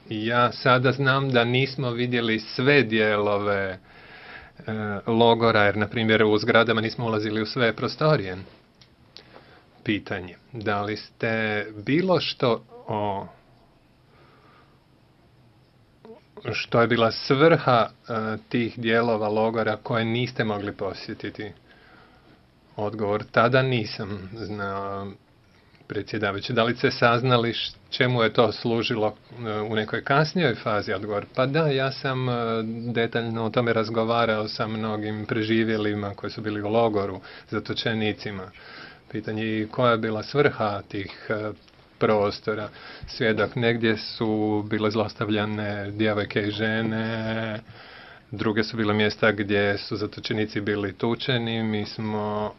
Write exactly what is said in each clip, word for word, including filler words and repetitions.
ja sada znam da nismo vidjeli sve dijelove e, logora, jer, na primjer, u zgradama nismo ulazili u sve prostorije. Pitanje, da li ste bilo što o što je bila svrha e, tih dijelova logora koje niste mogli posjetiti? Odgovor, tada nisam znao, predsjedavajući. Da li ste saznali čemu je to služilo u nekoj kasnijoj fazi? Odgovor, pa da, ja sam detaljno o tome razgovarao sa mnogim preživjelima koji su bili u logoru, zatočenicima. Pitanje, koja je bila svrha tih prostora? Svjedok, negdje su bile zlostavljane djevojke i žene, druge su bile mjesta gdje su zatočenici bili tučeni. Mi smo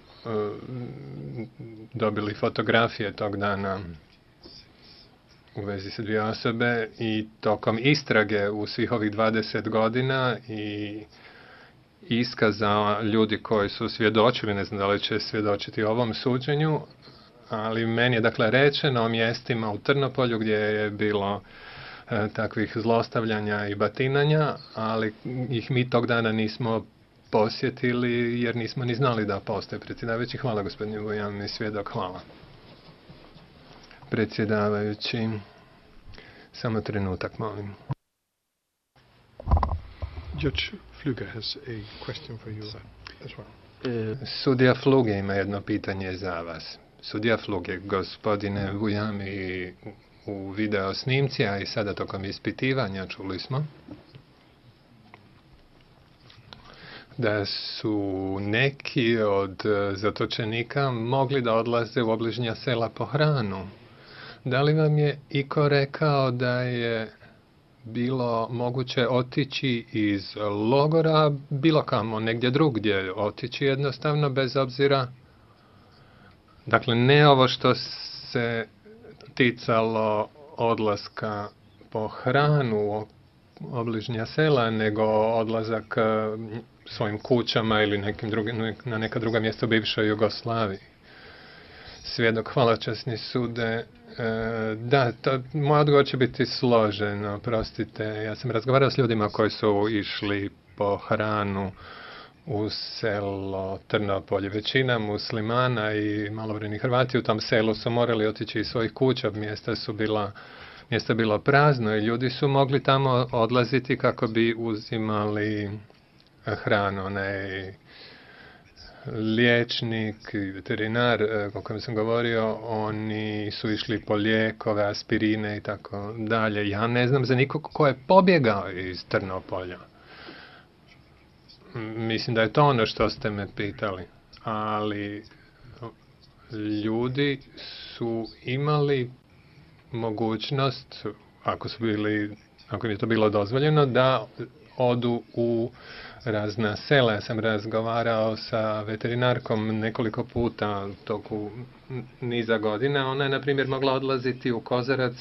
dobili fotografije tog dana u vezi sa dvije osobe i tokom istrage u svih ovih dvadeset godina i iskaza ljudi koji su svjedočili, ne znam da li će svjedočiti ovom suđenju, ali meni je dakle rečeno o mjestima u Trnopolju gdje je bilo e, takvih zlostavljanja i batinanja, ali ih mi tog dana nismo posjetili jer nismo ni znali da postoje. Predsjedavajući, hvala gospodine Vujan i svjedok, hvala. Predsjedavajući, samo trenutak, molim. Judge Fluge has a question for you as well. Sudija Fluge ima jedno pitanje za vas. Sudija Fluge, gospodine Vujan, i u video snimci, a i sada tokom ispitivanja čuli smo da su neki od zatočenika mogli da odlaze u obližnja sela po hranu. Da li vam je iko rekao da je bilo moguće otići iz logora bilo kamo, negdje drugdje, otići jednostavno bez obzira? Dakle, ne ovo što se ticalo odlaska po hranu u obližnja sela, nego odlazak svojim kućama ili nekim drugim, na neka druga mjesta u bivšoj Jugoslaviji. Svjedok, hvala časni sude. E, da, to, moj odgovor će biti složen, oprostite. Ja sam razgovarao s ljudima koji su išli po hranu u selo Trnopolje. Većina muslimana i malobrojni Hrvati u tom selu su morali otići iz svojih kuća, mjesta su bila mjesto bilo prazno i ljudi su mogli tamo odlaziti kako bi uzimali hranu. Onaj liječnik i veterinar o kojem sam govorio, oni su išli po lijekove, aspirine i tako dalje. Ja ne znam za nikog ko je pobjegao iz Trnopolja. Mislim da je to ono što ste me pitali. Ali ljudi su imali mogućnost, ako su bili, ako im je to bilo dozvoljeno, da odu u razna sela. Ja sam razgovarao sa veterinarkom nekoliko puta u toku niza godina. Ona je, na primjer, mogla odlaziti u Kozarac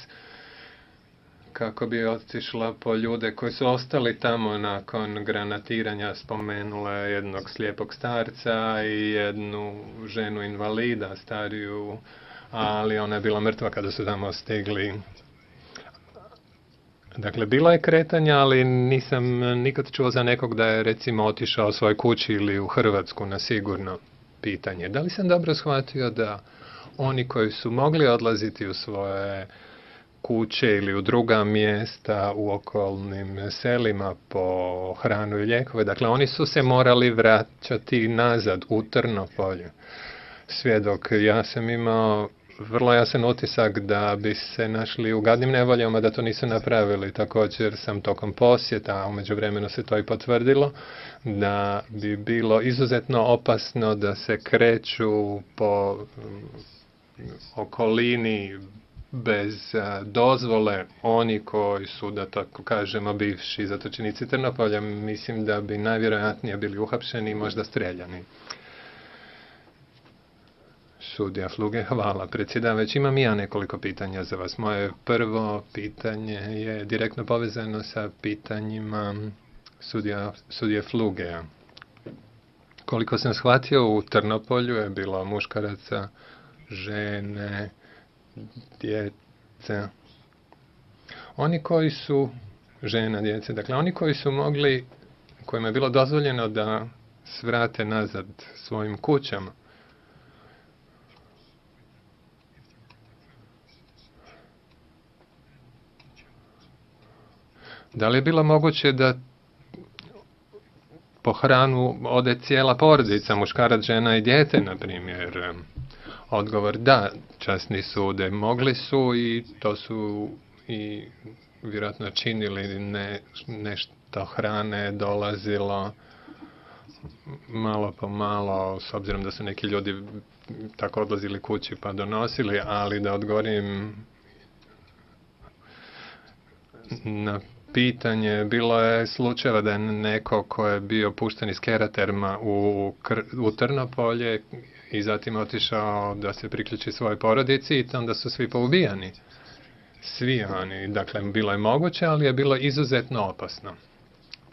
kako bi otišla po ljude koji su ostali tamo nakon granatiranja. Spomenula je jednog slijepog starca i jednu ženu invalida, stariju, ali ona je bila mrtva kada su tamo stigli. Dakle, bilo je kretanja, ali nisam nikad čuo za nekog da je, recimo, otišao svoj kući ili u Hrvatsku na sigurno. Pitanje. Da li sam dobro shvatio da oni koji su mogli odlaziti u svoje kuće ili u druga mjesta u okolnim selima po hranu i lijekove, dakle, oni su se morali vraćati nazad u Trnopolje? Svjedok, ja sam imao vrlo jasan utisak da bi se našli u gadnim nevoljama da to nisu napravili. Također sam tokom posjeta, a u međuvremenu se to i potvrdilo, da bi bilo izuzetno opasno da se kreću po okolini bez dozvole oni koji su, da tako kažemo, bivši zatočenici Trnopolja. Mislim da bi najvjerojatnije bili uhapšeni i možda streljani. Sudija Fluge, hvala predsjedavajući. Imam i ja nekoliko pitanja za vas. Moje prvo pitanje je direktno povezano sa pitanjima sudija, sudije Flugea. Koliko sam shvatio, u Trnopolju je bilo muškaraca, žene, djece. Oni koji su, žena, djece, dakle oni koji su mogli, kojima je bilo dozvoljeno da svrate nazad svojim kućama, da li je bilo moguće da po hranu ode cijela porodica, muškarac, žena i dijete, na primjer? Odgovor da, časni sude mogli su i to su i vjerojatno činili, ne, nešto hrane dolazilo malo po malo, s obzirom da su neki ljudi tako odlazili kući pa donosili, ali da odgovorim na pitanje, bilo je slučajeva da je neko ko je bio pušten iz Keraterma u, u Trnopolje i zatim otišao da se priključi svojoj porodici i onda su svi poubijani. Svi oni. Dakle, bilo je moguće, ali je bilo izuzetno opasno.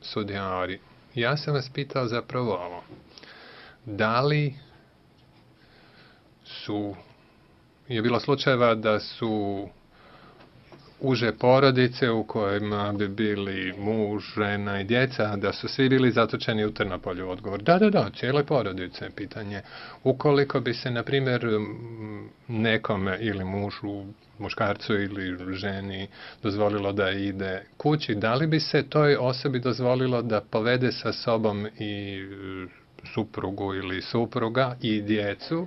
Sudija Ori, ja sam vas pitao zapravo ovo. Da li su, je bilo slučajeva da su uže porodice u kojima bi bili muž, žena i djeca, da su svi bili zatočeni u Trnopolju? Odgovor, da, da, da, cijele porodice. Pitanje, ukoliko bi se, na primjer, nekome ili mužu, muškarcu ili ženi dozvolilo da ide kući, da li bi se toj osobi dozvolilo da povede sa sobom i suprugu ili supruga i djecu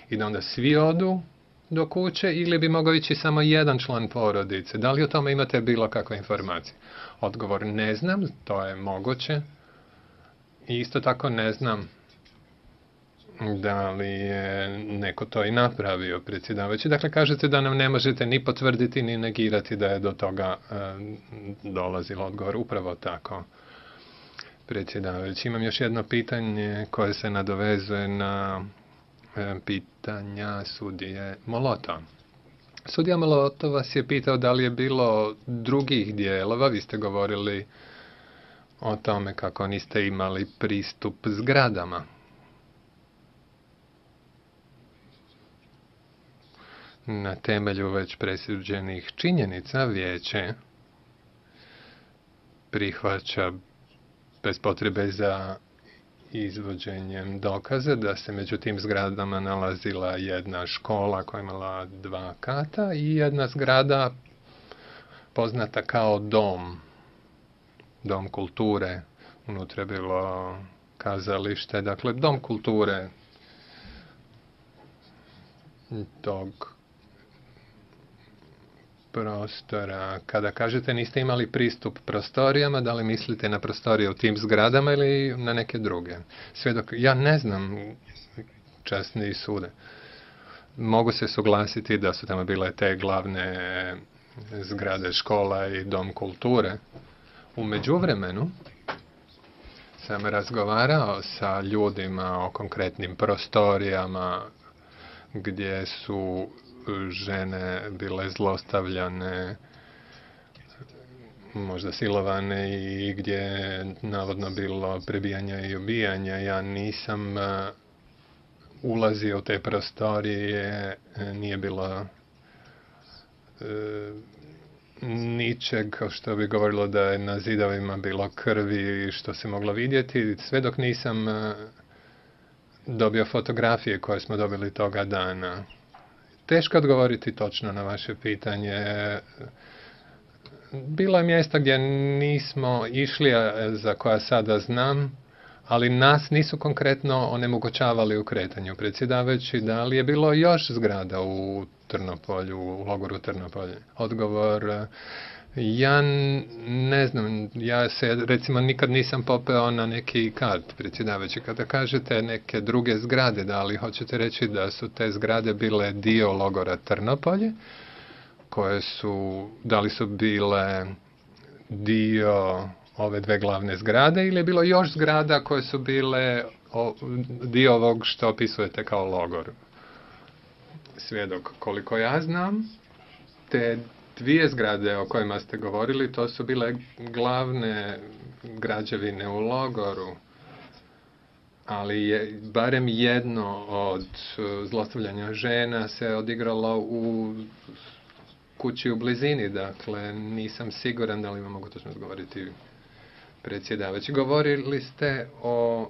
i da onda svi odu do kuće, ili bi mogao ići samo jedan član porodice? Da li o tome imate bilo kakve informacije? Odgovor, ne znam, to je moguće. I isto tako ne znam da li je neko to i napravio, predsjedavajući. Dakle, kažete da nam ne možete ni potvrditi ni negirati da je do toga e, dolazilo. Odgovor, upravo tako, predsjedavajući. Imam još jedno pitanje koje se nadovezuje na pitanja sudije Molota. Sudija Molota vas je pitao da li je bilo drugih dijelova, vi ste govorili o tome kako niste imali pristup zgradama. Na temelju već presuđenih činjenica vijeće prihvaća bez potrebe za izvođenjem dokaza da se među tim zgradama nalazila jedna škola koja je imala dva kata i jedna zgrada poznata kao dom, dom kulture. Unutra je bilo kazalište, dakle dom kulture tog prostora. Kada kažete niste imali pristup prostorijama, da li mislite na prostorije u tim zgradama ili na neke druge? Svjedok, ja ne znam, časni sude. Mogu se suglasiti da su tamo bile te glavne zgrade škola i dom kulture. U međuvremenu sam razgovarao sa ljudima o konkretnim prostorijama gdje su žene bile zlostavljane, možda silovane i gdje je navodno bilo prebijanja i ubijanja. Ja nisam ulazio u te prostorije, nije bilo e, ničeg što bi govorilo da je na zidovima bilo krvi što se moglo vidjeti, sve dok nisam dobio fotografije koje smo dobili toga dana. Teško odgovoriti točno na vaše pitanje. Bilo je mjesta gdje nismo išli, za koja sada znam, ali nas nisu konkretno onemogućavali u kretanju. Predsjedavajući, da li je bilo još zgrada u Trnopolju, u logoru Trnopolje? Odgovor, ja ne znam, ja se recimo nikad nisam popeo na neki kat, predsjedavajući. Kada kažete neke druge zgrade, da li hoćete reći da su te zgrade bile dio logora Trnopolje, koje su, da li su bile dio ove dve glavne zgrade ili je bilo još zgrada koje su bile o, dio ovog što opisujete kao logor? Svjedok, koliko ja znam, te dvije zgrade o kojima ste govorili, to su bile glavne građevine u logoru, ali je barem jedno od zlostavljanja žena se odigralo u kući u blizini, dakle nisam siguran da li vam mogu točno odgovoriti predsjedavajući. Govorili ste o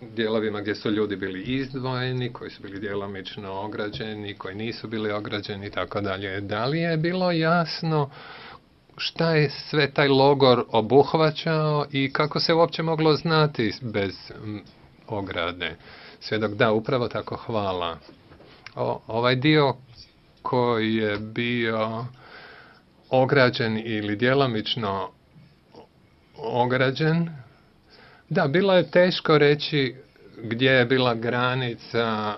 dijelovima gdje su ljudi bili izdvojeni, koji su bili djelomično ograđeni, koji nisu bili ograđeni i tako dalje. Da li je bilo jasno šta je sve taj logor obuhvaćao i kako se uopće moglo znati bez ograde? Svjedok, da, upravo tako, hvala. O, ovaj dio koji je bio ograđen ili djelomično ograđen, da, bilo je teško reći gdje je bila granica.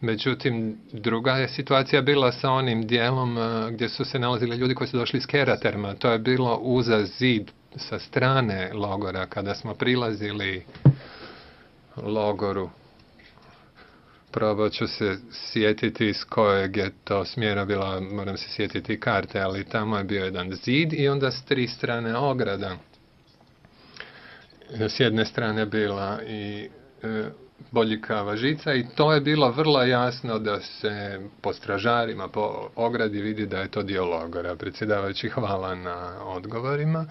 Međutim, druga je situacija bila sa onim dijelom gdje su se nalazili ljudi koji su došli iz Keraterma. To je bilo uza zid sa strane logora kada smo prilazili logoru. Probat ću se sjetiti s kojeg je to smjera bila, moram se sjetiti karte, ali tamo je bio jedan zid i onda s tri strane ograda. S jedne strane bila i e, boljikava žica i to je bilo vrlo jasno da se po stražarima, po ogradi vidi da je to dio logora. Predsjedavajući, hvala na odgovorima.